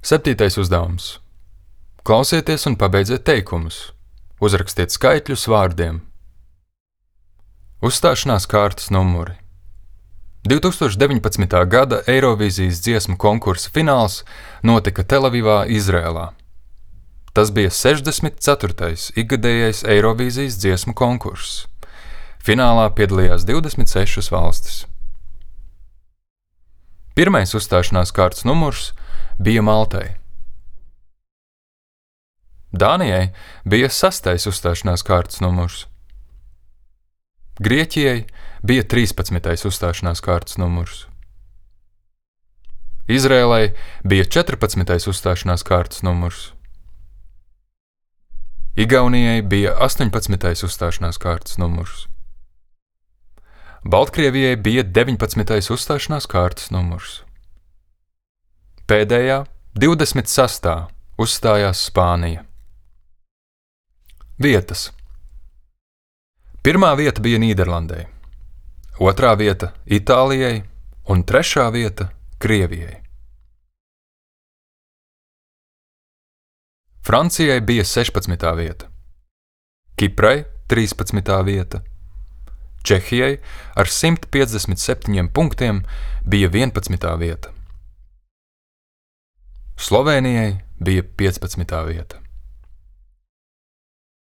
7. uzdevums. Klausieties un pabeidziet teikumus. Uzrakstiet skaitļus vārdiem. Uzstāšanās kārtas numuri. 2019. gada Eirovīzijas dziesmu konkursa fināls notika Telavivā, Izrēlā. Tas bija 64. ikgadējais Eirovīzijas dziesmu konkurss. Finālā piedalījās 26 valstis. Pirmais uzstāšanās kārtas numurs bija Maltai. Dānijai bija 6. uzstāšanās kārtas numurs. Grieķijai bija 13. uzstāšanās kārtas numurs. Izrēlai bija 14. uzstāšanās kārtas numurs. Igaunijai bija 18. uzstāšanās kārtas numurs. Baltkrievijai bija 19. uzstāšanās kārtas numurs. Pēdējā, 26. uzstājās Spānija. Vietas. Pirmā vieta bija Nīderlandei, otrā vieta Itālijai un trešā vieta Krievijai. Francijai bija 16. vieta, Kiprai 13. vieta, Čehijai ar 157 punktiem bija 11. vieta, Slovēnijai bija 15. vieta.